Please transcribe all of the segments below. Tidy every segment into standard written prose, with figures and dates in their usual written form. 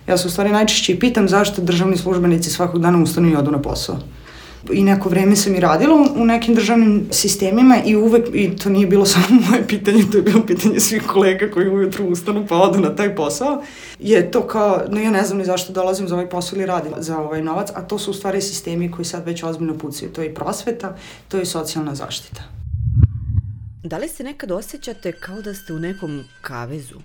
Ja se u stvari najčešće i pitam zašto državni službenici svakog dana ustanu i odu na posao. I neko vreme sam i radila u nekim državnim sistemima i uvek, i to nije bilo samo moje pitanje, to je bilo pitanje svih kolega koji ujutru ustanu pa odu na taj posao, je to kao, no ja ne znam ni zašto dolazim za ovaj posao ili radim za ovaj novac, a to su u stvari sistemi koji sad već ozbiljno pucaju. To je i prosveta, to je i socijalna zaštita. Da li se nekad osjećate kao da ste u nekom kavezu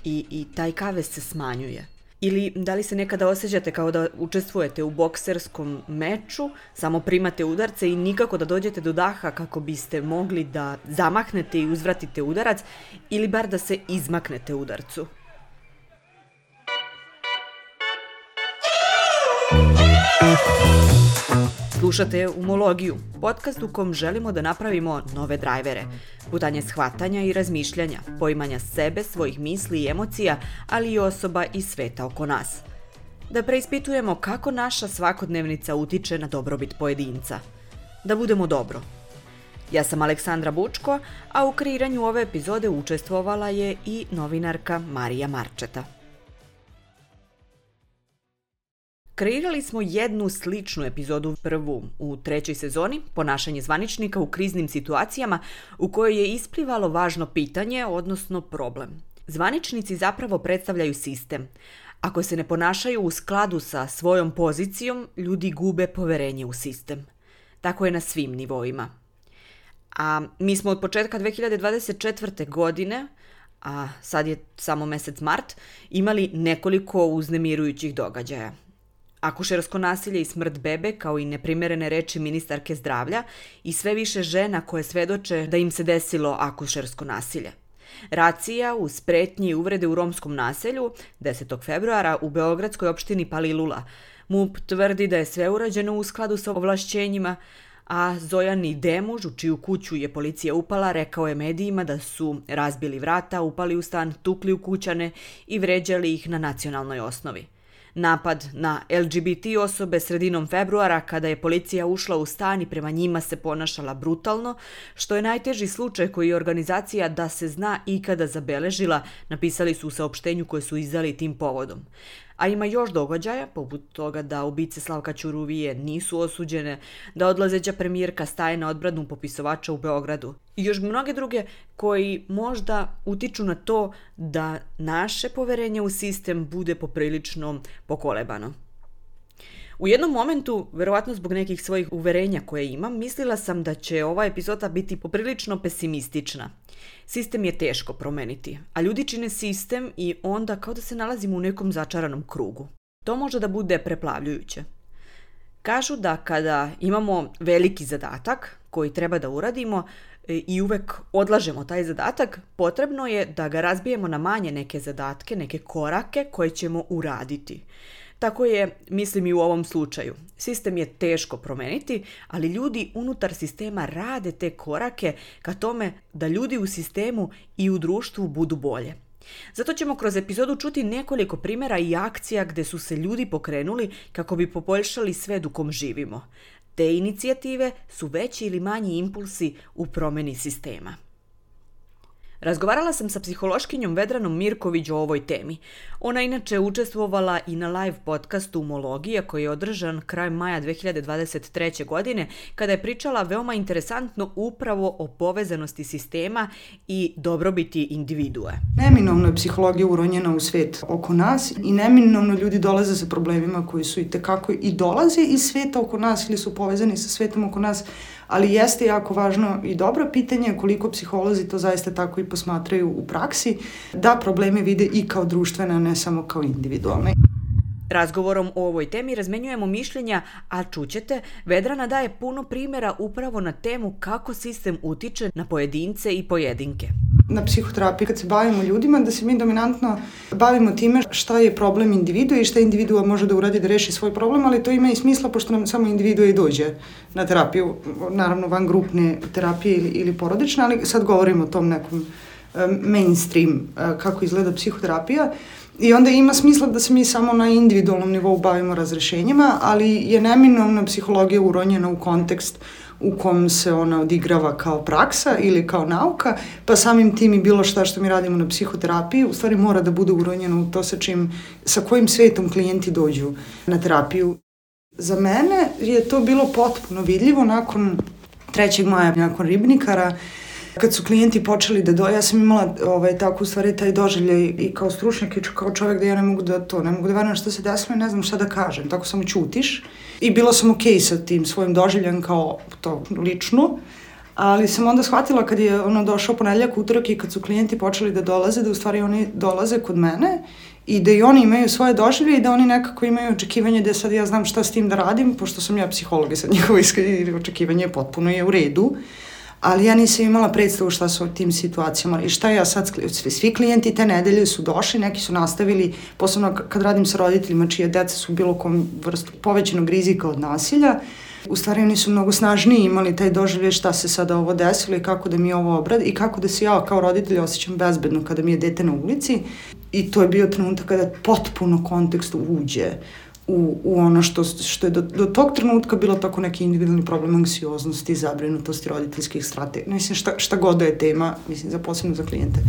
i taj kavez se smanjuje? Ili da li se nekada osjećate kao da učestvujete u bokserskom meču, samo primate udarce i nikako da dođete do daha kako biste mogli da zamahnete i uzvratite udarac ili bar da se izmaknete udarcu? Slušate Umologiju, podcast u kom želimo da napravimo nove drajvere, putanje shvatanja i razmišljanja, poimanja sebe, svojih misli i emocija, ali i osoba i sveta oko nas. Da preispitujemo kako naša svakodnevnica utiče na dobrobit pojedinca. Da budemo dobro. Ja sam Aleksandra Bučko, a u kreiranju ove epizode učestvovala je i novinarka Marija Marčeta. Kreirali smo jednu sličnu epizodu, prvu u 3. sezoni, ponašanje zvaničnika u kriznim situacijama, u kojoj je isplivalo važno pitanje, odnosno problem. Zvaničnici zapravo predstavljaju sistem. Ako se ne ponašaju u skladu sa svojom pozicijom, ljudi gube poverenje u sistem. Tako je na svim nivoima. A mi smo od početka 2024. godine, a sad je samo mesec mart, imali nekoliko uznemirujućih događaja. Akušersko nasilje i smrt bebe, kao i neprimerene reči ministarke zdravlja i sve više žena koje svedoče da im se desilo akušersko nasilje. Racija uz pretnje i uvrede u romskom naselju 10. februara u beogradskoj opštini Palilula. MUP tvrdi da je sve urađeno u skladu sa ovlašćenjima, a Zojani Demuž, u čiju kuću je policija upala, rekao je medijima da su razbili vrata, upali u stan, tukli u kućane i vređali ih na nacionalnoj osnovi. Napad na LGBT osobe sredinom februara, kada je policija ušla u stan i prema njima se ponašala brutalno, što je najteži slučaj koji je organizacija Da se zna ikada zabeležila, napisali su u saopštenju koje su izdali tim povodom. A ima još događaja, poput toga da ubice Slavka Ćuruvije nisu osuđene, da odlazeća premijerka staje na odbranu popisovača u Beogradu. I još mnoge druge koji možda utiču na to da naše poverenje u sistem bude poprilično pokolebano. U jednom momentu, verovatno zbog nekih svojih uverenja koje imam, mislila sam da će ova epizoda biti poprilično pesimistična. Sistem je teško promeniti, a ljudi čine sistem i onda kao da se nalazimo u nekom začaranom krugu. To može da bude preplavljujuće. Kažu da kada imamo veliki zadatak koji treba da uradimo i uvek odlažemo taj zadatak, potrebno je da ga razbijemo na manje neke zadatke, neke korake koje ćemo uraditi. Tako je, mislim, i u ovom slučaju. Sistem je teško promeniti, ali ljudi unutar sistema rade te korake ka tome da ljudi u sistemu i u društvu budu bolje. Zato ćemo kroz epizodu čuti nekoliko primjera i akcija gde su se ljudi pokrenuli kako bi poboljšali svet u kom živimo. Te inicijative su veći ili manji impulsi u promeni sistema. Razgovarala sam sa psihološkinjom Vedranom Mirković o ovoj temi. Ona inače učestvovala i na live podcastu Umologija koji je održan krajem maja 2023. godine kada je pričala veoma interesantno upravo o povezanosti sistema i dobrobiti individue. Neminovno je psihologija uronjena u svet oko nas i neminovno ljudi dolaze sa problemima koji su itekako i dolaze iz sveta oko nas ili su povezani sa svetom oko nas, ali jeste jako važno i dobro pitanje koliko psiholozi to zaista tako i posmatraju u praksi, da probleme vide i kao društvene, a ne samo kao individualne. Razgovorom o ovoj temi razmenjujemo mišljenja, a čućete, Vedrana daje puno primjera upravo na temu kako sistem utiče na pojedince i pojedinke. Na psihoterapiji kad se bavimo ljudima, da se mi dominantno bavimo time šta je problem individua i šta individua može da uradi da reši svoj problem, ali to ima i smisla pošto nam samo individua i dođe na terapiju, naravno van grupne terapije ili porodične, ali sad govorimo o tom nekom mainstream kako izgleda psihoterapija. I onda ima smisla da se mi samo na individualnom nivou bavimo razrešenjima, ali je neminovna psihologija uronjena u kontekst u kom se ona odigrava kao praksa ili kao nauka, pa samim tim i bilo šta što mi radimo na psihoterapiji, u stvari mora da bude uronjeno u to sa kojim svetom klijenti dođu na terapiju. Za mene je to bilo potpuno vidljivo nakon 3. maja, nakon Ribnikara, kad su klijenti počeli da ja sam imala tako u stvari taj doživljaj i kao stručnjak i kao čovjek da ja ne mogu da verujem šta se desilo i ne znam šta da kažem, tako samo ćutiš. I bilo sam okej sa tim svojim doživljajem kao to lično, ali sam onda shvatila kad je došao ponedeljak, utorak i kad su klijenti počeli da dolaze, da u stvari oni dolaze kod mene i da i oni imaju svoje doživlje i da oni nekako imaju očekivanje da sad ja znam šta s tim da radim, pošto sam ja psiholog i sad njihovo očekivanje potpuno je u redu. Ali ja nisam imala predstavu šta su u tim situacijama i šta ja sad, svi klijenti te nedelje su došli, neki su nastavili, posebno kad radim sa roditeljima čije deca su bilo kom vrstu povećanog rizika od nasilja, u stvari oni su mnogo snažniji imali taj doživljaj šta se sada ovo desilo i kako da mi ovo obradi i kako da se ja kao roditelj osjećam bezbedno kada mi je dete na ulici i to je bio trenutak kada potpuno kontekst uđe u ono što je do tog trenutka bilo tako neki individualni problem anksioznosti, zabrinutosti, roditeljskih strategija. Mislim, šta god da je tema, mislim, posebno za klijente.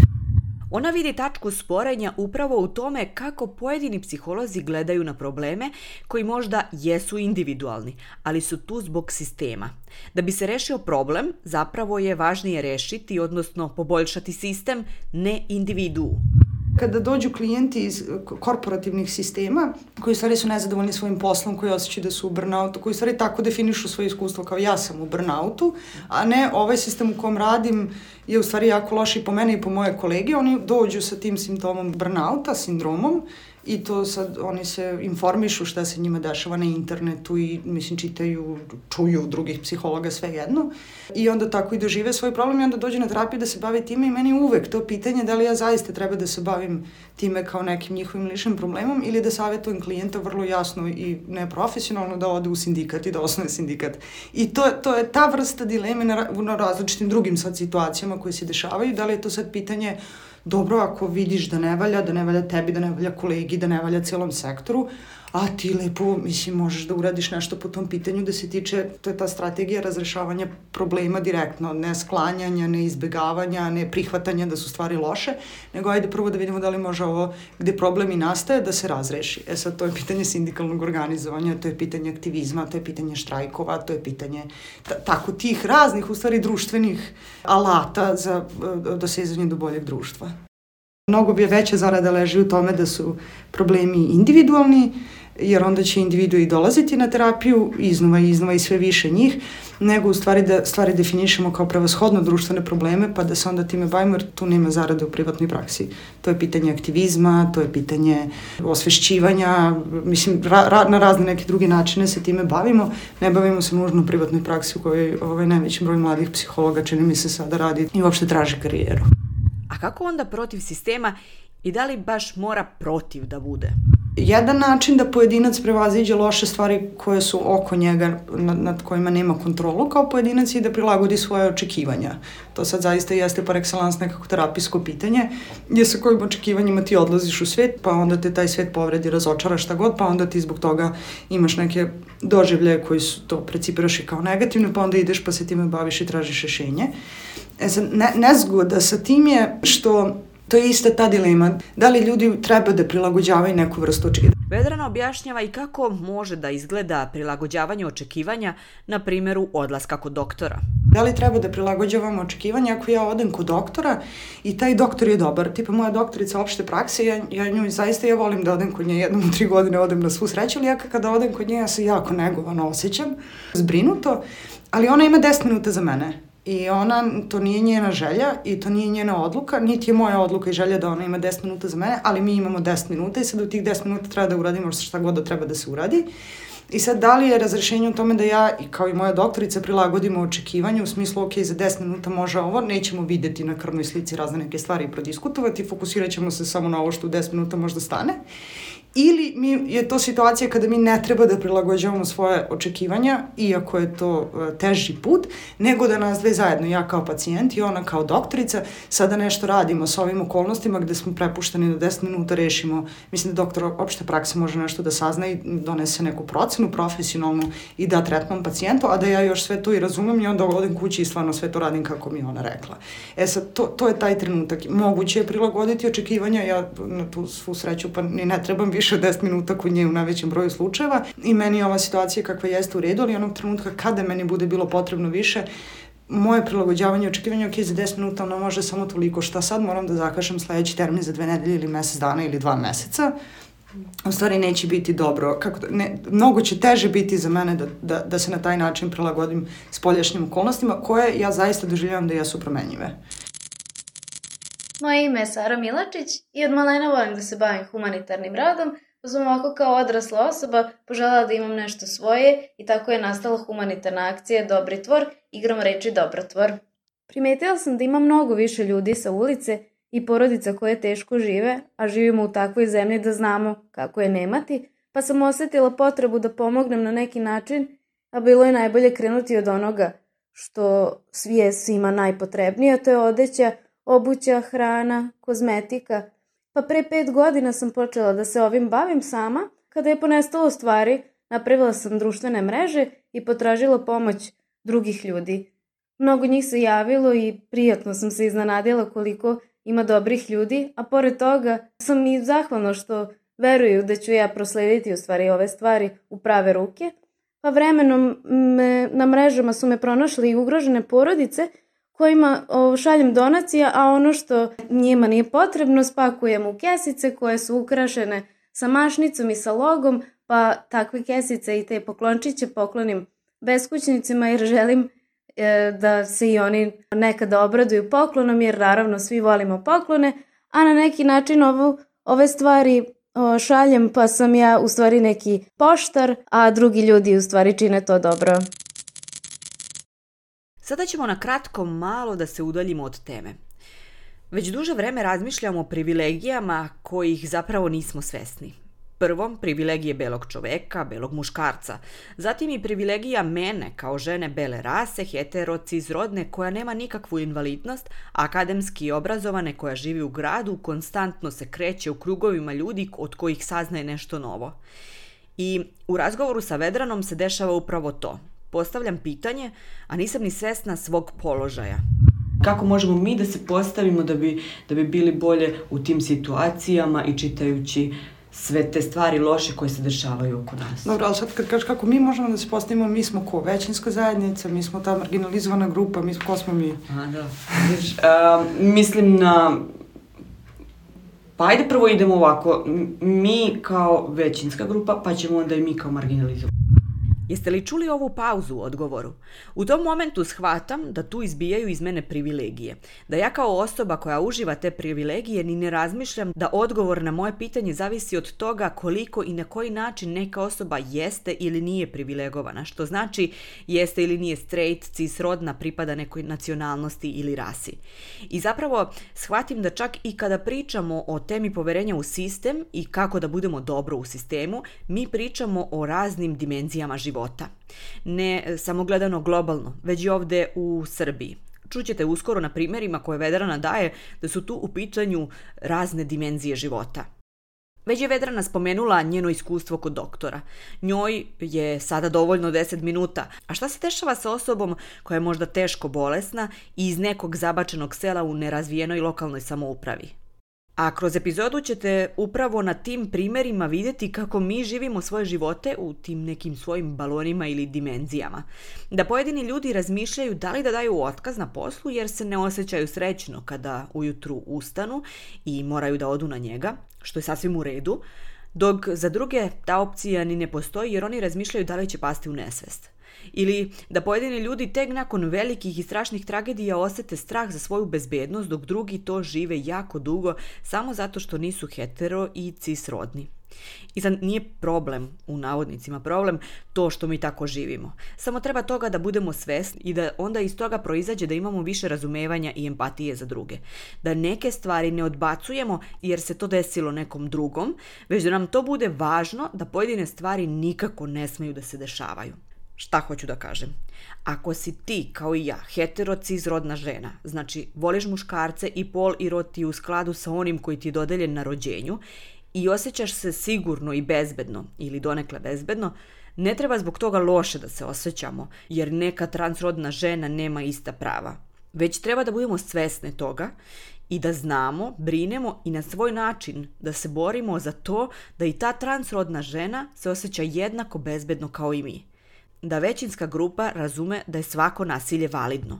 Ona vidi tačku sporenja upravo u tome kako pojedini psiholozi gledaju na probleme koji možda jesu individualni, ali su tu zbog sistema. Da bi se rešio problem, zapravo je važnije rešiti, odnosno poboljšati sistem, ne individuu. Kada dođu klijenti iz korporativnih sistema, koji u stvari su nezadovoljni svojim poslom, koji osjećaju da su u burnoutu, koji u stvari tako definišu svoje iskustvo kao ja sam u burnoutu, a ne ovaj sistem u kom radim je u stvari jako loš i po mene i po moje kolege, oni dođu sa tim simptomom burnouta, sindromom, i to sad oni se informišu šta se njima dešava na internetu i čitaju, čuju drugih psihologa, sve jedno. I onda tako i dožive svoj problem i onda dođe na terapiju da se bavi time i meni uvek to pitanje da li ja zaista treba da se bavim time kao nekim njihovim ličnim problemom ili da savjetujem klijenta vrlo jasno i neprofesionalno da ode u sindikat i da osnuje sindikat. I to je ta vrsta dileme na različitim drugim sad situacijama koje se dešavaju. Da li je to sad pitanje dobro ako vidiš da ne valja tebi, da ne valja kolegi, da ne valja celom sektoru, a ti lepo, možeš da uradiš nešto po tom pitanju da se tiče, to je ta strategija razrešavanja problema direktno, ne sklanjanja, ne izbegavanja, ne prihvatanja da su stvari loše, nego ajde prvo da vidimo da li može ovo gde problem i nastaje da se razreši. Sad to je pitanje sindikalnog organizovanja, to je pitanje aktivizma, to je pitanje štrajkova, to je pitanje tako tih raznih, u stvari društvenih alata za dosezanje do boljeg društva. Mnogo bi veća zarada leži u tome da su problemi individualni, jer onda će individui dolaziti na terapiju iznova i sve više njih, nego u stvari da stvari definišemo kao prevashodno društvene probleme, pa da se onda time bavimo, jer tu nema zarade u privatnoj praksi. To je pitanje aktivizma, to je pitanje osvešćivanja, na razne neke druge načine se time bavimo, ne bavimo se nužno u privatnoj praksi u kojoj najveći broj mladih psihologa čini mi se sada radi i uopšte traži karijeru. A kako onda protiv sistema i da li baš mora protiv da bude? Jedan način da pojedinac prevaziđe loše stvari koje su oko njega, nad kojima nema kontrolu kao pojedinac i da prilagodi svoje očekivanja. To sad zaista jeste par excellence nekako terapijsko pitanje, gdje sa kojim očekivanjima ti odlaziš u svet, pa onda te taj svet povredi, razočara šta god, pa onda ti zbog toga imaš neke doživljaje koji su to precipiraš i kao negativne, pa onda ideš pa se time baviš i tražiš rešenje. Nezgoda sa tim je što to je ista ta dilema. Da li ljudi treba da prilagođavaju neku vrstu očekivanja? Vedrana objašnjava i kako može da izgleda prilagođavanje očekivanja na primjeru odlaska kod doktora. Da li treba da prilagođavamo očekivanja ako ja odem kod doktora i taj doktor je dobar? Tipa moja doktorica opšte prakse, ja volim da odem kod nje, jednom u 3 godine odem na svu sreću, ali ja kada odem kod nje ja se jako negovano osjećam, zbrinuto, ali ona ima 10 minuta za mene. I to nije njena želja i to nije njena odluka, niti je moja odluka i želja da ona ima 10 minuta za mene, ali mi imamo 10 minuta i sad u tih 10 minuta treba da uradimo šta god da treba da se uradi. I sad da li je razrešenje u tome da ja, kao i moja doktorica, prilagodimo očekivanje u smislu, ok, za 10 minuta može ovo, nećemo videti na krvnoj slici razne neke stvari i prodiskutovati, fokusirat ćemo se samo na ovo što u 10 minuta možda stane. ili je to situacija kada mi ne treba da prilagođavamo svoje očekivanja, iako je to teži put, nego da nas dve zajedno, ja kao pacijent i ona kao doktorica, sada nešto radimo sa ovim okolnostima gde smo prepušteni da 10 minuta rešimo. Mislim da doktor opšte prakse može nešto da sazna i donese neku procenu profesionalnu i da tretman pacijentu, a da ja još sve to i razumem i onda odem kući i stvarno sve to radim kako mi ona rekla. Sad, to je taj trenutak. Moguće je prilagoditi očekivanja, ja na tu svu sreću pa ni ne trebam više od 10 minuta kod nje u najvećem broju slučajeva i meni je ova situacija kakva jeste u redu, ali onog trenutka kada meni bude bilo potrebno više, moje prilagođavanje i očekivanje, ok, za 10 minuta ono može samo toliko, šta sad moram da zakažem sledeći termin za 2 nedelje ili mesec dana ili 2 meseca, u stvari neće biti dobro. Mnogo će teže biti za mene da se na taj način prilagodim spoljašnjim okolnostima koje ja zaista doživljavam da jesu promenjive. Moje ime je Sara Milačić i od malena volim da se bavim humanitarnim radom, pa sam ovako kao odrasla osoba poželjela da imam nešto svoje i tako je nastala humanitarna akcija Dobri tvor, igrom reči Dobrotvor. Primetila sam da ima mnogo više ljudi sa ulice i porodica koje teško žive, a živimo u takvoj zemlji da znamo kako je nemati, pa sam osetila potrebu da pomognem na neki način, a bilo je najbolje krenuti od onoga što je svima najpotrebnije, a to je odeća, obuća, hrana, kozmetika. Pa pre 5 godina sam počela da se ovim bavim sama. Kada je ponestalo stvari, napravila sam društvene mreže i potražila pomoć drugih ljudi. Mnogo njih se javilo i prijatno sam se iznenadila koliko ima dobrih ljudi, a pored toga sam i zahvalna što veruju da ću ja proslediti u stvari ove stvari u prave ruke. Pa vremenom na mrežama su me pronašle i ugrožene porodice kojima šaljem donacija, a ono što njima nije potrebno spakujem u kesice koje su ukrašene sa mašnicom i sa logom, pa takve kesice i te poklončiće poklonim beskućnicima jer želim da se i oni nekada obraduju poklonom, jer naravno svi volimo poklone, a na neki način ove stvari šaljem, pa sam ja u stvari neki poštar, a drugi ljudi u stvari čine to dobro. Sada ćemo na kratko malo da se udaljimo od teme. Već duže vreme razmišljamo o privilegijama kojih zapravo nismo svesni. Prvo, privilegije belog čoveka, belog muškarca. Zatim i privilegija mene kao žene bele rase, hetero, cisrodne, koja nema nikakvu invalidnost, akademski obrazovane, koja živi u gradu, konstantno se kreće u krugovima ljudi od kojih saznaje nešto novo. I u razgovoru sa Vedranom se dešava upravo to. Postavljam pitanje, a nisam ni svesna svog položaja. Kako možemo mi da se postavimo da bi bili bolje u tim situacijama i čitajući sve te stvari loše koje se dešavaju oko nas? Dobro, ali sad kad kažeš kako mi možemo da se postavimo, mi smo ko? Većinska zajednica, mi smo ta marginalizovana grupa, ko smo mi? Mislim na... Pa ajde prvo idemo ovako, mi kao većinska grupa, pa ćemo onda i mi kao marginalizovani. Jeste li čuli ovu pauzu u odgovoru? U tom momentu shvatam da tu izbijaju iz mene privilegije. Da ja kao osoba koja uživa te privilegije ni ne razmišljam da odgovor na moje pitanje zavisi od toga koliko i na koji način neka osoba jeste ili nije privilegovana. Što znači jeste ili nije straight, cisrodna, pripada nekoj nacionalnosti ili rasi. I zapravo shvatim da čak i kada pričamo o temi poverenja u sistem i kako da budemo dobro u sistemu, mi pričamo o raznim dimenzijama života. Ne samo gledano globalno, već i ovde u Srbiji. Čućete uskoro na primjerima koje Vedrana daje da su tu u pitanju razne dimenzije života. Već je Vedrana spomenula njeno iskustvo kod doktora. Njoj je sada dovoljno 10 minuta. A šta se dešava sa osobom koja je možda teško bolesna i iz nekog zabačenog sela u nerazvijenoj lokalnoj samoupravi? A kroz epizodu ćete upravo na tim primjerima vidjeti kako mi živimo svoje živote u tim nekim svojim balonima ili dimenzijama. Da pojedini ljudi razmišljaju da li da daju otkaz na poslu jer se ne osjećaju srećno kada ujutru ustanu i moraju da odu na njega, što je sasvim u redu, dok za druge ta opcija ni ne postoji jer oni razmišljaju da li će pasti u nesvest. Ili da pojedini ljudi tek nakon velikih i strašnih tragedija osete strah za svoju bezbednost, dok drugi to žive jako dugo samo zato što nisu hetero i cisrodni. I sad nije problem, u navodnicima problem, to što mi tako živimo. Samo treba toga da budemo svesni i da onda iz toga proizađe da imamo više razumevanja i empatije za druge. Da neke stvari ne odbacujemo jer se to desilo nekom drugom, već da nam to bude važno da pojedine stvari nikako ne smeju da se dešavaju. Šta hoću da kažem? Ako si ti, kao i ja, heterocizrodna žena, znači voliš muškarce i pol i rod ti u skladu sa onim koji ti je dodeljen na rođenju i osjećaš se sigurno i bezbedno ili donekle bezbedno, ne treba zbog toga loše da se osjećamo, jer neka transrodna žena nema ista prava. Već treba da budemo svesne toga i da znamo, brinemo i na svoj način da se borimo za to da i ta transrodna žena se osjeća jednako bezbedno kao i mi. Da većinska grupa razume da je svako nasilje validno.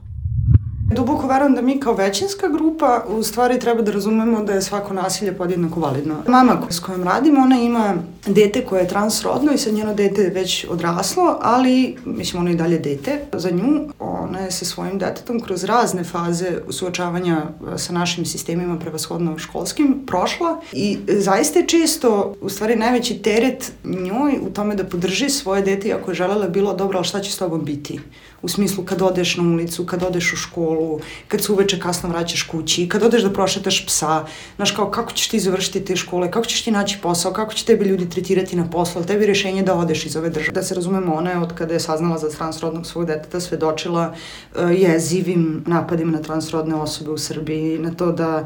Duboko verujem da mi kao većinska grupa u stvari treba da razumemo da je svako nasilje podjednako validno. Mama s kojom radim, ona ima dete koje je transrodno i sad njeno dete je već odraslo, ali mislim ono i dalje dete. Za nju ona je sa svojim detetom kroz razne faze suočavanja sa našim sistemima, prevashodno školskim, prošla i zaista je često u stvari najveći teret njoj u tome da podrži svoje dete i ako je želela bilo dobro, ali šta će s tobom biti? U smislu kad odeš na ulicu, kad odeš u školu, kad se uveče kasno vraćaš kući, kad odeš da prošetaš psa, znaš kao kako ćeš ti završiti te škole, kako ćeš ti naći posao, kako će tebi ljudi tretirati na poslu, ali tebi rješenje da odeš iz ove države. Da se razumemo, ona je od kada je saznala za transrodnog svog deteta svedočila jezivim napadima na transrodne osobe u Srbiji, na to da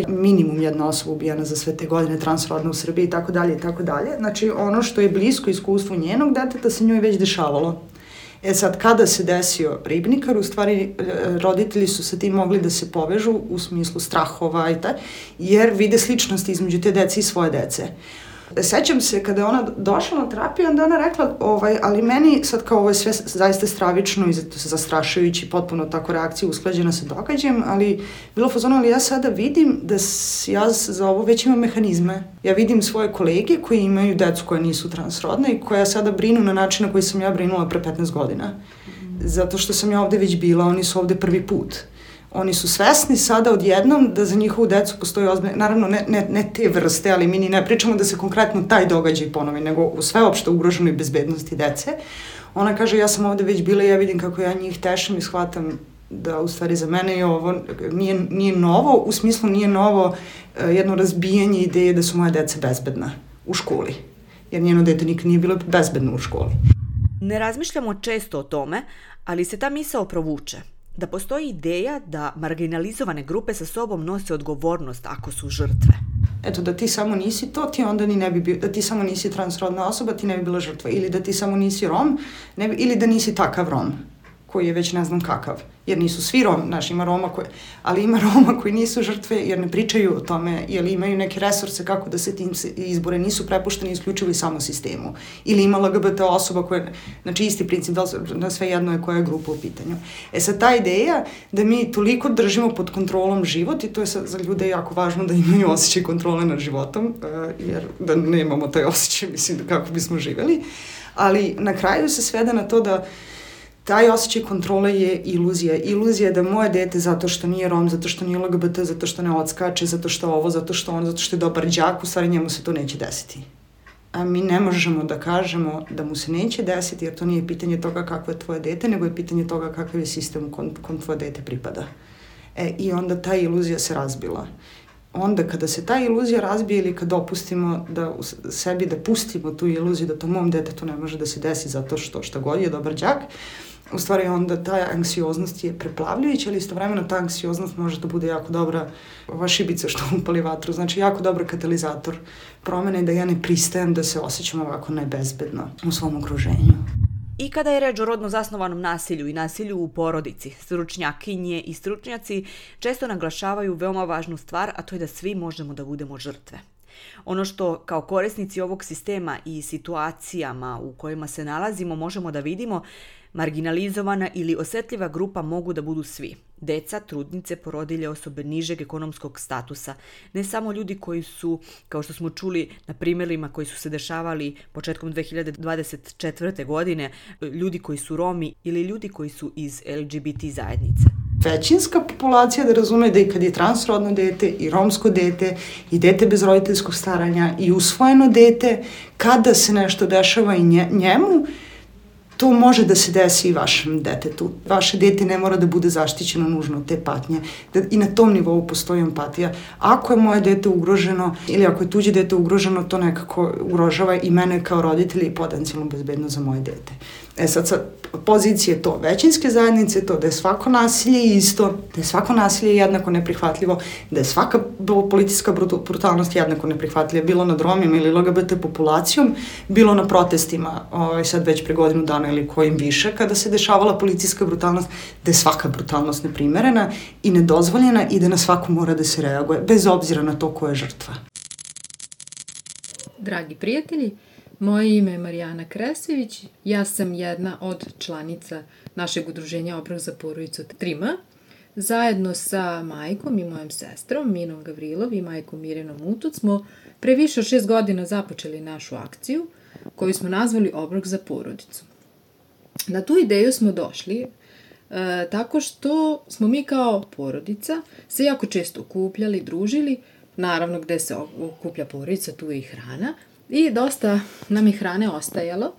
minimum jedna osoba ubijena za sve te godine transrodne u Srbiji i tako dalje i tako dalje. Znači ono što je blisko iskustvu njenog deteta se njoj već dešavalo. E sad, kada se desio Ribnikar, u stvari roditelji su sa tim mogli da se povežu u smislu strahova i jer vide sličnosti između te dece i svoje dece. Sećam se kada je ona došla na terapiju, onda ona rekla, ali meni sad kao ovo je sve zaista stravično i zastrašujući, potpuno tako reakcija usklađena sa događajem, ali bilo fazono, ali ja sada vidim da ja za ovo već imam mehanizme. Ja vidim svoje kolege koji imaju decu koje nisu transrodne i koja sada brinu na način na koji sam ja brinula pre 15 godina. Zato što sam ja ovde već bila, oni su ovde prvi put. Oni su svesni sada odjednom da za njihovu decu postoji ozbiljno, naravno ne te vrste, ali mi ni ne pričamo da se konkretno taj događaj ponovi, nego u sveopšte ugroženoj bezbednosti dece. Ona kaže, ja sam ovde već bila i ja vidim kako ja njih tešim i shvatam da u stvari za mene je ovo nije novo, u smislu nije novo jedno razbijanje ideje da su moja deca bezbedna u školi, jer njeno dete nikad nije bilo bezbedno u školi. Ne razmišljamo često o tome, ali se ta misao provuče. Da postoji ideja da marginalizovane grupe sa sobom nose odgovornost ako su žrtve. Eto, da ti samo nisi to, ti onda ni ne bi bio, da ti samo nisi transrodna osoba, ti ne bi bila žrtva. Ili da ti samo nisi Rom, ili da nisi takav Rom, koji je već ne znam kakav. Jer nisu svi Rom, znaš, ima Roma ali ima Roma koji nisu žrtve jer ne pričaju o tome, jer imaju neke resurse kako da se tim izbore, nisu prepušteni isključivo i samo sistemu. Ili ima LGBT osoba koja, znači isti princip, da sve jedno je koja je grupa u pitanju. E sad ta ideja da mi toliko držimo pod kontrolom život i to je za ljude jako važno da imaju osjećaj kontrole nad životom, jer da nemamo taj osjećaj, mislim, kako bismo živeli, ali na kraju se svede na to da taj osjećaj kontrole je iluzija. Iluzija je da moje dete, zato što nije Rom, zato što nije LGBT, zato što ne odskače, zato što ovo, zato što je dobar đak, u stvari njemu se to neće desiti. A mi ne možemo da kažemo da mu se neće desiti, jer to nije pitanje toga kakvo je tvoje dete, nego je pitanje toga kakav je sistem kom tvoje dete pripada. I onda ta iluzija se razbila. Onda kada se ta iluzija razbije ili kad dopustimo da sebi da pustimo tu iluziju da to mom detetu ne može da se desi zato što šta god je dobar đak, u stvari onda ta anksioznost je preplavljujuća, ali istovremeno ta anksioznost može da bude jako dobra šibica što upali vatru, znači jako dobar katalizator promene da ja ne pristajem da se osjećam ovako nebezbedno u svom okruženju. I kada je reč o rodno zasnovanom nasilju i nasilju u porodici, stručnjakinje i stručnjaci često naglašavaju veoma važnu stvar, a to je da svi možemo da budemo žrtve. Ono što kao korisnici ovog sistema i situacijama u kojima se nalazimo možemo da vidimo, marginalizovana ili osetljiva grupa mogu da budu svi. Deca, trudnice, porodilje, osobe nižeg ekonomskog statusa. Ne samo ljudi koji su, kao što smo čuli na primjerima koji su se dešavali početkom 2024. godine, ljudi koji su Romi ili ljudi koji su iz LGBT zajednice. većinska populacija da razume da i kad je transrodno dete i romsko dete i dete bez roditeljskog staranja i usvojeno dete, kada se nešto dešava i njemu, to može da se desi i vašem detetu. Vaše dete ne mora da bude zaštićeno nužno od te patnje. I na tom nivou postoji empatija. Ako je moje dete ugroženo ili ako je tuđe dete ugroženo, to nekako ugrožava i mene kao roditelja i potencijalno bezbedno za moje dete. Sad sa pozicije to većinske zajednice, to da je svako nasilje isto, da je svako nasilje jednako neprihvatljivo, da je svaka policijska brutalnost jednako neprihvatljiva, bilo nad Romima ili LGBT populacijom, bilo na protestima, sad već pre godinu dana ili kojim više, kada se dešavala policijska brutalnost, da je svaka brutalnost neprimerena i nedozvoljena i da na svaku mora da se reaguje, bez obzira na to ko je žrtva. Dragi prijatelji, moje ime je Marijana Kresović, ja sam jedna od članica našeg udruženja Obrok za porodicu 3M. Zajedno sa majkom i mojom sestrom, Minom Gavrilov i majkom Mirjanom Mutuc, smo pre više od 6 godina započeli našu akciju koju smo nazvali Obrok za porodicu. Na tu ideju smo došli tako što smo mi kao porodica se jako često okupljali, družili, naravno gde se okuplja porodica, tu je i hrana, i dosta nam je hrane ostajalo,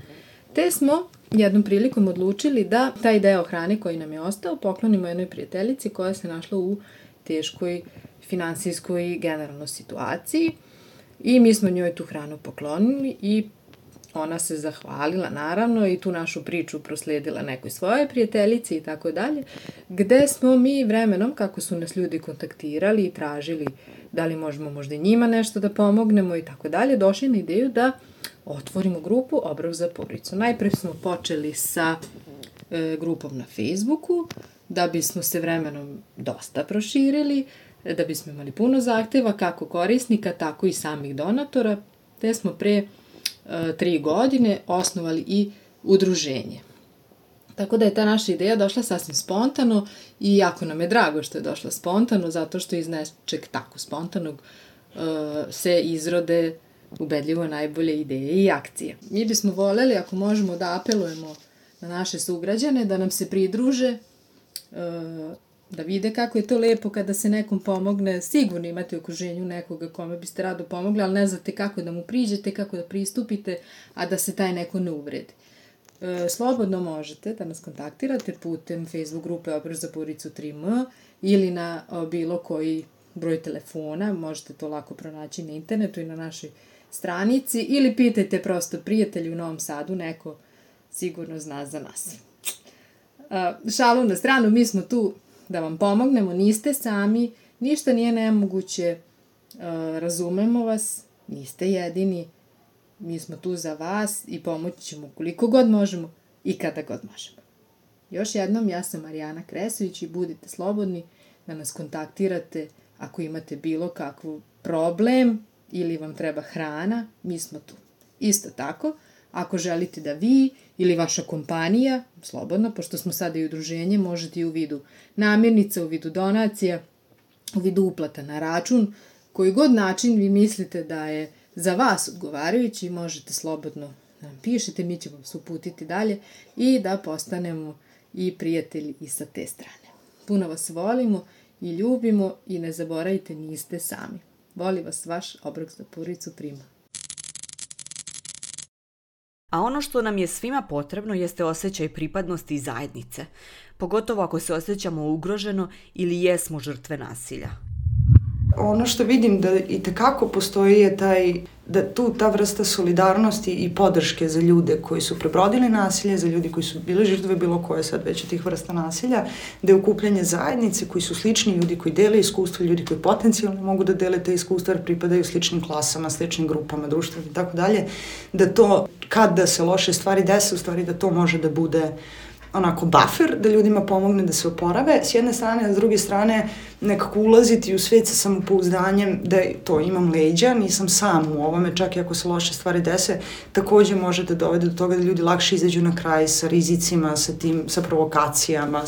te smo jednom prilikom odlučili da taj deo hrane koji nam je ostao poklonimo jednoj prijateljici koja se našla u teškoj finansijskoj i generalnoj situaciji i mi smo njoj tu hranu poklonili i ona se zahvalila naravno i tu našu priču prosledila nekoj svojoj prijateljici i tako dalje, gde smo mi vremenom, kako su nas ljudi kontaktirali i tražili da li možemo možda njima nešto da pomognemo i tako dalje, došli na ideju da otvorimo grupu Obrok za porodicu. Najpre smo počeli sa grupom na Facebooku, da bismo se vremenom dosta proširili, da bismo imali puno zahteva kako korisnika, tako i samih donatora, te smo pre 3 godine osnovali i udruženje. Tako da je ta naša ideja došla sasvim spontano i jako nam je drago što je došla spontano, zato što iz nečeg tako spontanog se izrode ubedljivo najbolje ideje i akcije. Mi bismo voljeli, ako možemo, da apelujemo na naše sugrađane, da nam se pridruže, da vide kako je to lepo kada se nekom pomogne. Sigurno imate u okruženju nekoga kome biste rado pomogli, ali ne znate kako da mu priđete, kako da pristupite, a da se taj neko ne uvredi. Slobodno možete da nas kontaktirate putem Facebook grupe Obrok za porodicu 3M ili na bilo koji broj telefona, možete to lako pronaći na internetu i na našoj stranici, ili pitajte prosto prijatelji u Novom Sadu, neko sigurno zna za nas. Šalu na stranu, mi smo tu da vam pomognemo, niste sami, ništa nije nemoguće, razumemo vas, niste jedini, mi smo tu za vas i pomoći ćemo koliko god možemo i kada god možemo. Još jednom, ja sam Marijana Kresović i budite slobodni da nas kontaktirate ako imate bilo kakvu problem ili vam treba hrana, mi smo tu. Isto tako, ako želite da vi ili vaša kompanija, slobodno, pošto smo sada i udruženje, možete i u vidu namirnica, u vidu donacija, u vidu uplata na račun, koji god način vi mislite da je za vas odgovarajući, možete slobodno da nam pišete, mi ćemo se uputiti dalje i da postanemo i prijatelji i sa te strane. Puno vas volimo i ljubimo i ne zaboravite, niste sami. Voli vas vaš Obrok za porodicu 3M. A ono što nam je svima potrebno jeste osjećaj pripadnosti i zajednice, pogotovo ako se osjećamo ugroženo ili jesmo žrtve nasilja. Ono što vidim da i tekako postoji je ta vrsta solidarnosti i podrške za ljude koji su prebrodili nasilje, za ljudi koji su bili žrtve bilo koje sad već od tih vrsta nasilja, da je okupljanje zajednice koji su slični, ljudi koji dele iskustva, ljudi koji potencijalno mogu da dele te iskustva jer pripadaju sličnim klasama, sličnim grupama, društvenim i tako dalje, da to kada se loše stvari dese, u stvari da to može da bude onako buffer, da ljudima pomogne da se oporave s jedne strane, a s druge strane nekako ulaziti u svet sa samopouzdanjem da to imam leđa, nisam sam u ovome, čak i ako se loše stvari dese, takođe može da dovede do toga da ljudi lakše izađu na kraj sa rizicima, sa provokacijama,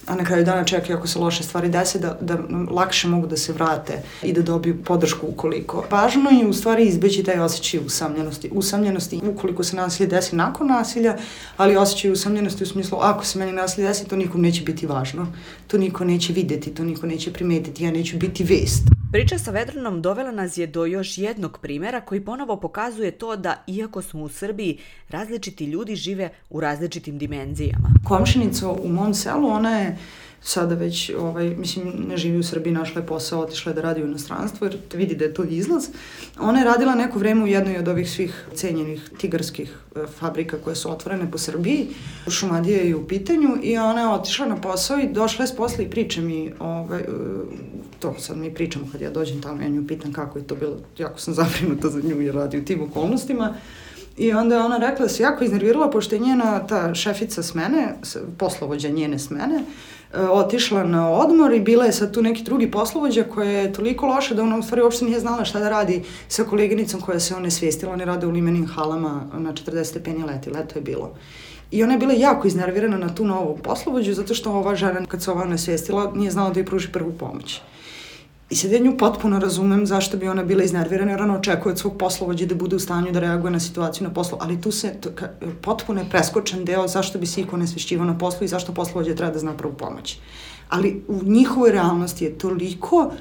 a na kraju dana čak i ako se loše stvari dese, da lakše mogu da se vrate i da dobiju podršku ukoliko. Važno je u stvari izbeći taj osjećaj usamljenosti ukoliko se nasilje desi nakon nasilja, ali osjećaj usamljenosti u smislu ako se meni nasilje desi, to nikom neće biti važno, to niko neće videti, to niko neće primetiti, ja neću biti vest. Priča sa Vedranom dovela nas je do još jednog primjera koji ponovo pokazuje to da, iako smo u Srbiji, različiti ljudi žive u različitim dimenzijama. Komšinica u mom selu, ona je sada već, ne živi u Srbiji, našla je posao, otišla je da radi u inostranstvu jer vidi da je to izlaz. Ona je radila neko vreme u jednoj od ovih svih cenjenih tigarskih fabrika koje su otvorene po Srbiji. Šumadija je u pitanju i ona je otišla na posao i došla je s posla i priča mi, to sad mi pričamo kad ja dođem tamo, ja nju pitam kako je to bilo, jako sam zabrinuta za nju jer radi u tim okolnostima. I onda je ona rekla da se jako iznervirala pošto je njena ta šefica smene, poslovođa njene smene, otišla na odmor i bila je sad tu neki drugi poslovođa koja je toliko loša da ona u stvari uopšte nije znala šta da radi sa koleginicom koja se onesvestila. Oni rade u limenim halama na 40 stepeni leto je bilo. I ona je bila jako iznervirana na tu novu poslovođu zato što ova žena kad se ova onesvestila nije znala da joj pruži prvu pomoć. I sad ja nju potpuno razumem zašto bi ona bila iznervirana jer ona očekuje od svog poslovođa da bude u stanju da reaguje na situaciju na poslu, ali tu se potpuno je preskočen deo zašto bi se iko onesvešćivao na poslu i zašto poslovođa treba da zna prvu pomoć. Ali u njihovoj realnosti je toliko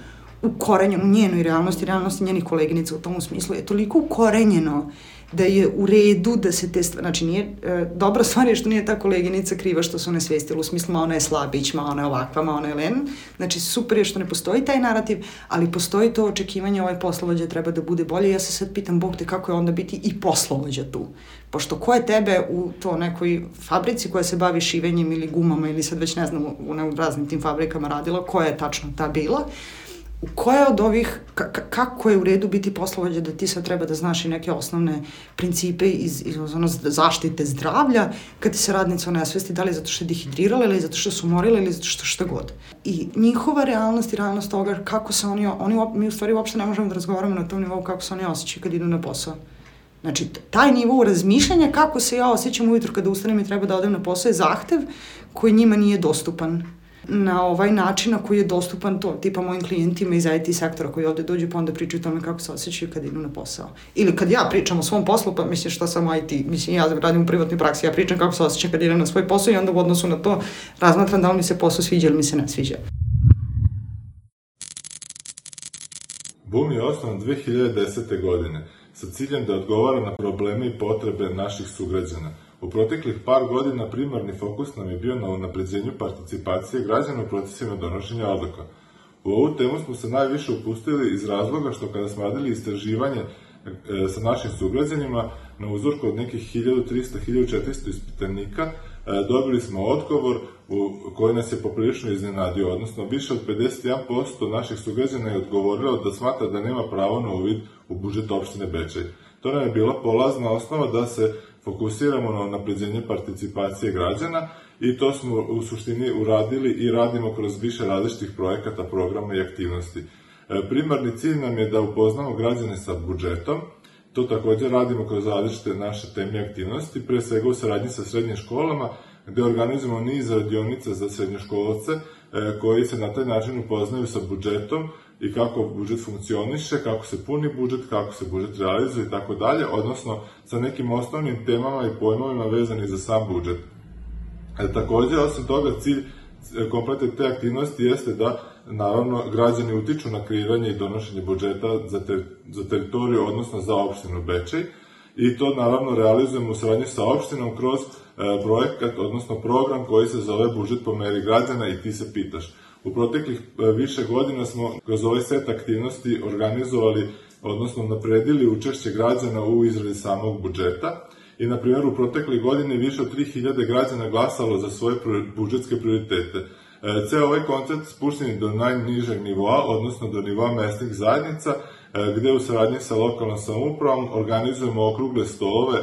ukorenjeno, u njenoj realnosti njenih koleginica u tom smislu je toliko ukorenjeno da je u redu da se te stvari, znači nije, dobra stvar je što nije ta koleginica kriva što se onesvestila u smislu ma ona je slabić, ma ona je ovakva, ma ona je len, znači super je što ne postoji taj narativ, ali postoji to očekivanje ovaj poslovođa treba da bude bolje. Ja se sad pitam, Bog te, kako je onda biti i poslovođa tu, pošto ko je tebe u to nekoj fabrici koja se bavi šivenjem ili gumama ili sad već ne znam u raznim tim fabrikama radila, koja je tačno ta bila, koja od ovih, kako je u redu biti poslovođa da ti sad treba da znaš i neke osnovne principe iz zaštite zdravlja kad ti se radnica onesvesti, da li zato što je dehidrirala ili zato što su umorila ili zato što šta god. I njihova realnost i realnost toga kako se mi u stvari uopšte ne možemo da razgovaramo na tom nivou kako se oni osjećaju kad idu na posao. Znači, taj nivou razmišljanja kako se ja osjećam ujutru kada ustanem i treba da odem na posao je zahtev koji njima nije dostupan na ovaj način na koji je dostupan to, tipa mojim klijentima iz IT sektora koji ovde dođu pa onda pričaju o tome kako se osjećaju kad idu na posao. Ili kad ja pričam o svom poslu, pa mislim šta sam IT, mislim ja radim u privatnoj praksi, ja pričam kako se osjećam kad idem na svoj posao i onda u odnosu na to razmatram da li mi se posao sviđa ili mi se ne sviđa. BUM je osnovan 2010. godine sa ciljem da odgovara na probleme i potrebe naših sugrađana. U proteklih par godina primarni fokus nam je bio na unapređenju participacije građana u procesima donošenja odluka. U ovu temu smo se najviše upustili iz razloga što kada smo radili istraživanje sa našim sugrađanima na uzorku od nekih 1300-1400 ispitanika, dobili smo odgovor koji nas je poprilično iznenadio, odnosno više od 51% naših sugrađana je odgovorilo da smatra da nema pravo na uvid u budžet opštine Bečej. To nam je bila polazna osnova da se fokusiramo na unapređenje participacije građana i to smo u suštini uradili i radimo kroz više različitih projekata, programa i aktivnosti. Primarni cilj nam je da upoznamo građane sa budžetom, to takođe radimo kroz različite naše teme i aktivnosti, pre svega u saradnji sa srednjim školama, gde organizujemo niz radionica za srednjoškolce koji se na taj način upoznaju sa budžetom i kako budžet funkcioniše, kako se puni budžet, kako se budžet realizuje i tako dalje, odnosno sa nekim osnovnim temama i pojmovima vezani za sam budžet. Takođe, osim toga, cilj kompletne te aktivnosti jeste da, naravno, građani utiču na kreiranje i donošenje budžeta za teritoriju, odnosno za opštinu Bečej, i to, naravno, realizujemo u saradnji sa opštinom kroz projekat, odnosno program koji se zove Budžet po meri građana i ti se pitaš. U proteklih više godina smo kroz ovaj set aktivnosti organizovali, odnosno napredili učešće građana u izradi samog budžeta i, na primjer, u proteklih godine više od 3000 građana glasalo za svoje budžetske prioritete. Ceo ovaj koncept spušten je do najnižeg nivoa, odnosno do nivoa mesnih zajednica, gde u saradnji sa lokalnom samoupravom organizujemo okrugle stolove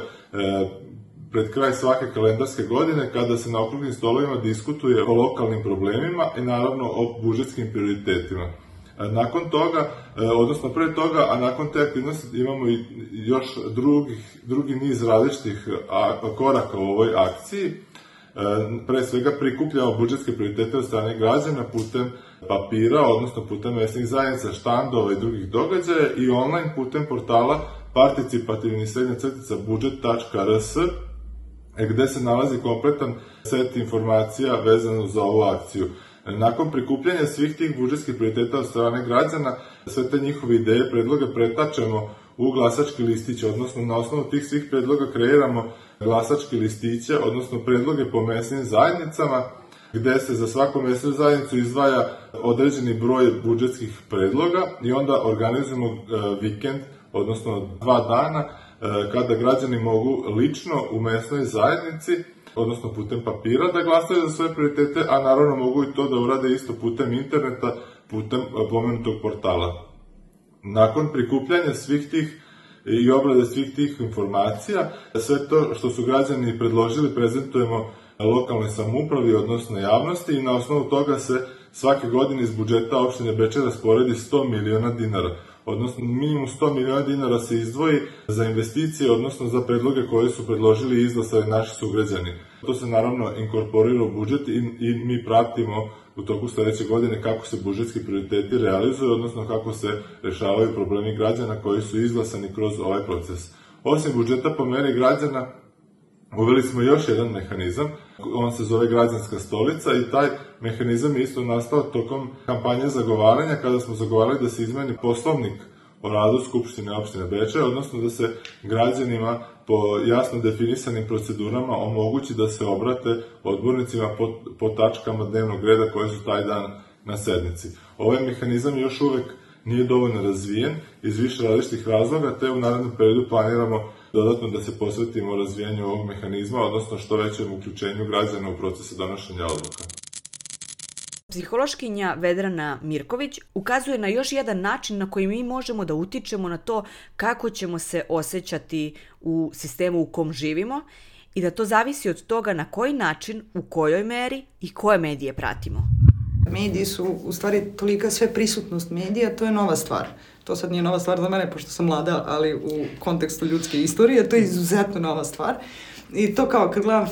pred kraj svake kalendarske godine kada se na okruglim stolovima diskutuje o lokalnim problemima i naravno o budžetskim prioritetima. Nakon toga, odnosno pre toga, a nakon te aktivnosti imamo i još drugi niz različitih koraka u ovoj akciji. Pre svega prikupljamo budžetske prioritete od strane građana putem papira, odnosno putem mesnih zajednica, štandova i drugih događaja i online putem portala participativni-budžet.rs gde se nalazi kompletan set informacija vezano za ovu akciju. Nakon prikupljanja svih tih budžetskih prioriteta od strane građana, sve te njihove ideje, predloge pretačemo u glasački listić, odnosno na osnovu tih svih predloga kreiramo glasački listiće, odnosno predloge po mesnim zajednicama, gde se za svaku mesnu zajednicu izdvaja određeni broj budžetskih predloga i onda organizujemo vikend, odnosno 2 dana, kada građani mogu lično u mesnoj zajednici, odnosno putem papira, da glasaju za svoje prioritete, a naravno mogu i to da urade isto putem interneta, putem pomenutog portala. Nakon prikupljanja svih tih i obrade svih tih informacija, sve to što su građani predložili prezentujemo lokalnoj samoupravi, odnosno javnosti, i na osnovu toga se svake godine iz budžeta opštine Bečej rasporedi 100 miliona dinara. Odnosno, minimum 100 miliona dinara se izdvoji za investicije, odnosno za predloge koje su predložili i izglasali naši sugrađani. To se naravno inkorporira u budžet i mi pratimo u toku sledeće godine kako se budžetski prioriteti realizuju, odnosno kako se rešavaju problemi građana koji su izglasani kroz ovaj proces. Osim budžeta po meri građana, uveli smo još jedan mehanizam, on se zove Građanska stolica i taj mehanizam je isto nastao tokom kampanje zagovaranja, kada smo zagovarali da se izmeni poslovnik o radu Skupštine opštine Bečej, odnosno da se građanima po jasno definisanim procedurama omogući da se obrate odbornicima po tačkama dnevnog reda koje su taj dan na sednici. Ovaj mehanizam još uvek nije dovoljno razvijen iz više različitih razloga, te u narednom periodu planiramo dodatno da se posvetimo razvijanju ovog mehanizma, odnosno što većem uključenju građana u procese donošenja odluka. Psihološkinja Vedrana Mirković ukazuje na još jedan način na koji mi možemo da utičemo na to kako ćemo se osjećati u sistemu u kom živimo i da to zavisi od toga na koji način, u kojoj meri i koje medije pratimo. Mediji su u stvari tolika sve prisutnost medija, to je nova stvar. To sad nije nova stvar za mene, pošto sam mlada, ali u kontekstu ljudske istorije, to je izuzetno nova stvar. I to kao kad gledam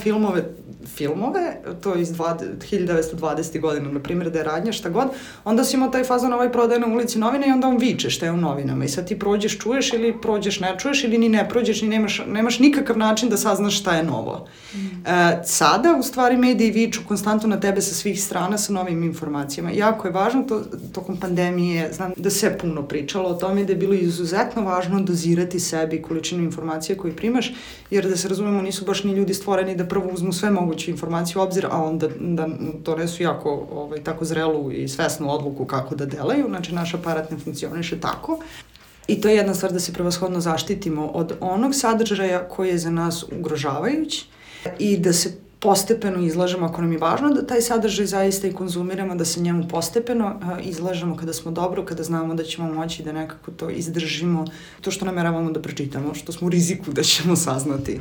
filmove, to iz 1920. godina, na primjer, da je radnja, šta god, onda si imao taj fazon, ovaj prodaje na ulici novine i onda on viče šta je u novinama. I sad ti prođeš, čuješ ili prođeš, ne čuješ ili ni ne prođeš, ni nemaš nikakav način da saznaš šta je novo. Sada, u stvari, mediji viču konstantno na tebe sa svih strana sa novim informacijama. Jako je važno, tokom pandemije, znam da se puno pričalo o tome, da je bilo izuzetno važno dozirati sebi količinu informacija koju primaš, jer da se razumemo, nisu baš ni ljudi stvoreni da prvo uzmu sve moguće informacije u obzir, a onda da donesu jako tako zrelu i svesnu odluku kako da delaju. Znači, naš aparat ne funkcioniše tako. I to je jedna stvar, da se prevashodno zaštitimo od onog sadržaja koji je za nas ugrožavajući i da se postepeno izlažemo, ako nam je važno da taj sadržaj zaista i konzumiramo, da se njemu postepeno izlažemo kada smo dobro, kada znamo da ćemo moći da nekako to izdržimo, to što nameravamo da pročitamo, što smo u riziku da ćemo saznati.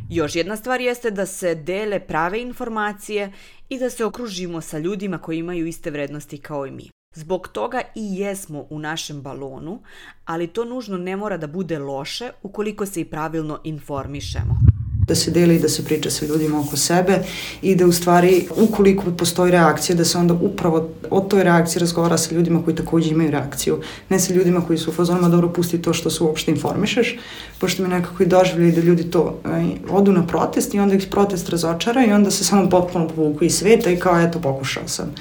Još jedna stvar jeste da se dele prave informacije i da se okružimo sa ljudima koji imaju iste vrednosti kao i mi. Zbog toga i jesmo u našem balonu, ali to nužno ne mora da bude loše ukoliko se i pravilno informišemo. Da se deli i da se priča sa ljudima oko sebe i da u stvari, ukoliko postoji reakcija, da se onda upravo o toj reakciji razgovara sa ljudima koji takođe imaju reakciju. Ne sa ljudima koji su u fazonima, dobro, pusti to što se uopšte informišeš, pošto mi nekako i doživljaju da ljudi to odu na protest i onda ih protest razočara i onda se samo potpuno povuku iz sveta i kao, eto, pokušao sam.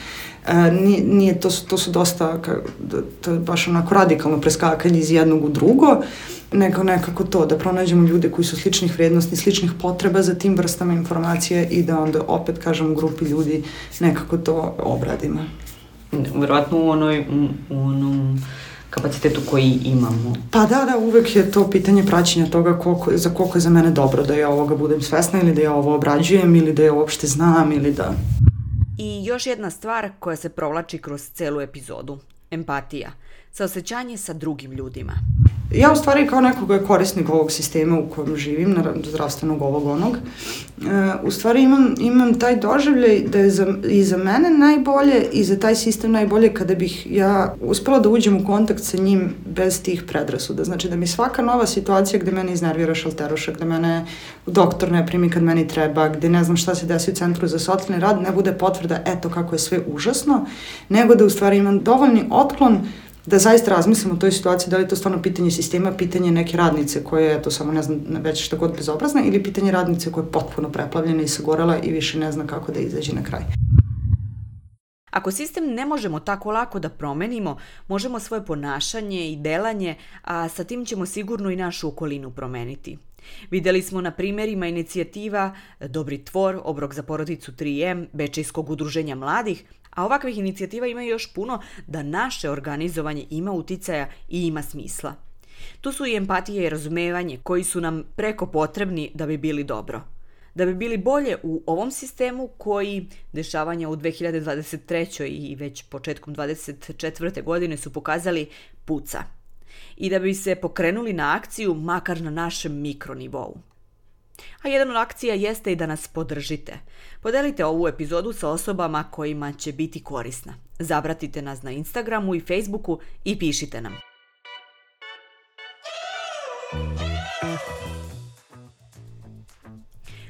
Nije, to su dosta, to je baš onako radikalno preskakanje iz jednog u drugo, nekako to, da pronađemo ljude koji su sličnih vrednosti, sličnih potreba za tim vrstama informacije i da onda opet, kažem, u grupi ljudi nekako to obradimo. Vjerovatno u onom kapacitetu koji imamo. Pa da, uvek je to pitanje praćenja toga za koliko je za mene dobro da ja ovoga budem svesna ili da ja ovo obrađujem ili da ja uopšte znam ili da... I još jedna stvar koja se provlači kroz celu epizodu. Empatija. Saosećanje sa drugim ljudima. Ja u stvari kao neko koji je korisnik ovog sistema u kojem živim, zdravstvenog ovog onog, u stvari imam taj doživljaj da je i za mene najbolje i za taj sistem najbolje kada bih ja uspela da uđem u kontakt sa njim bez tih predrasuda. Znači da mi svaka nova situacija gde mene iznervira šalteruša, gde mene doktor ne primi kad meni treba, gde ne znam šta se desi u centru za socijalni rad, ne bude potvrda eto kako je sve užasno, nego da u stvari imam dovoljni otklon da zaista razmislim o toj situaciji, da li je to stvarno pitanje sistema, pitanje neke radnice koja je, eto samo ne znam, već šta god bezobrazna, ili pitanje radnice koja je potpuno preplavljena i sagorela i više ne zna kako da izađe na kraj. Ako sistem ne možemo tako lako da promenimo, možemo svoje ponašanje i delanje, a sa tim ćemo sigurno i našu okolinu promeniti. Videli smo na primjerima inicijativa Dobri tvor, Obrok za porodicu 3M, Bečejskog udruženja mladih, a ovakvih inicijativa ima još puno da naše organizovanje ima uticaja i ima smisla. Tu su i empatija i razumevanje koji su nam preko potrebni da bi bili dobro. Da bi bili bolje u ovom sistemu koji dešavanja u 2023. i već početkom 2024. godine su pokazali puca. I da bi se pokrenuli na akciju makar na našem mikronivou. A jedan od akcija jeste i da nas podržite. Podelite ovu epizodu sa osobama kojima će biti korisna. Zapratite nas na Instagramu i Facebooku i pišite nam.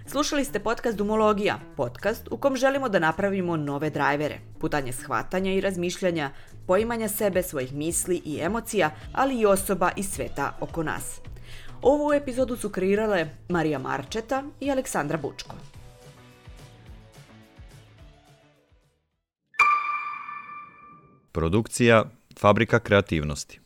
Slušali ste podcast Dumologija, podcast u kom želimo da napravimo nove drajvere, putanje shvatanja i razmišljanja, poimanja sebe, svojih misli i emocija, ali i osoba iz sveta oko nas. Ovu epizodu su kreirale Marija Marčeta i Aleksandra Bučko. Produkcija Fabrika kreativnosti.